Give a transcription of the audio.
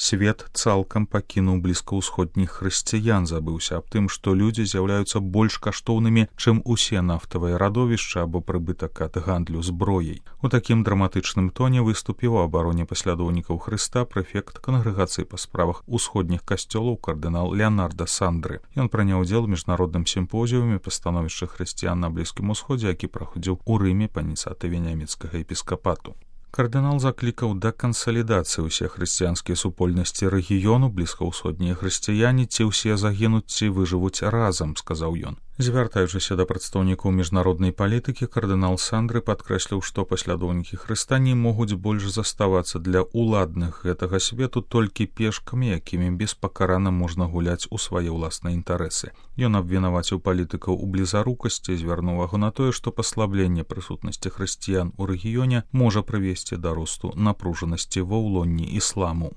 Свет цалкам пакінуў блізкаўсходніх хрысціян, забыўся аб тым, што людзі з'яўляюцца больш каштоўнымі, чым усе нафтавыя радовішча або прыбытак ад гандлю зброяй. У такім драматычным тоне выступіў у абароне паслядоўнікаў Хрыста прэфект кангрэгацыі па справах усходніх касцёлаў кардынал Леонардо Сандры. Ён прыняў удзел у міжнародным сімпозіуме па становішчы хрысціян на Блізкім Усходзе, які праходзіў у Рыме па ініцыятыве нямецкага епіскапату. Кардынал заклікаў да кансалідацыі ўсе хрысціянскія супольнасці рэгіёну, блізкаўсходнія хрысціяне ці ўсе загінуць, ці выжывуць разам, сказаў ён. Звяртаючыся да прадстаўнікоў міжнароднай палітыкі, кардынал Сандры падкрэсліў, што паслядоўнікі Хрыста не могуць больш заставацца для ўладных гэтага свету толькі пешкамі, якімі беспакарана можна гуляць у свае ўласныя інтарэсы. Ён абвінаваціў палітыкаў у блізарукасці, звярнуў увагу на тое, што паслабленне прысутнасці хрысціян у рэгіёне можа прывесці да росту напружанасці ва ўлонні ісламу.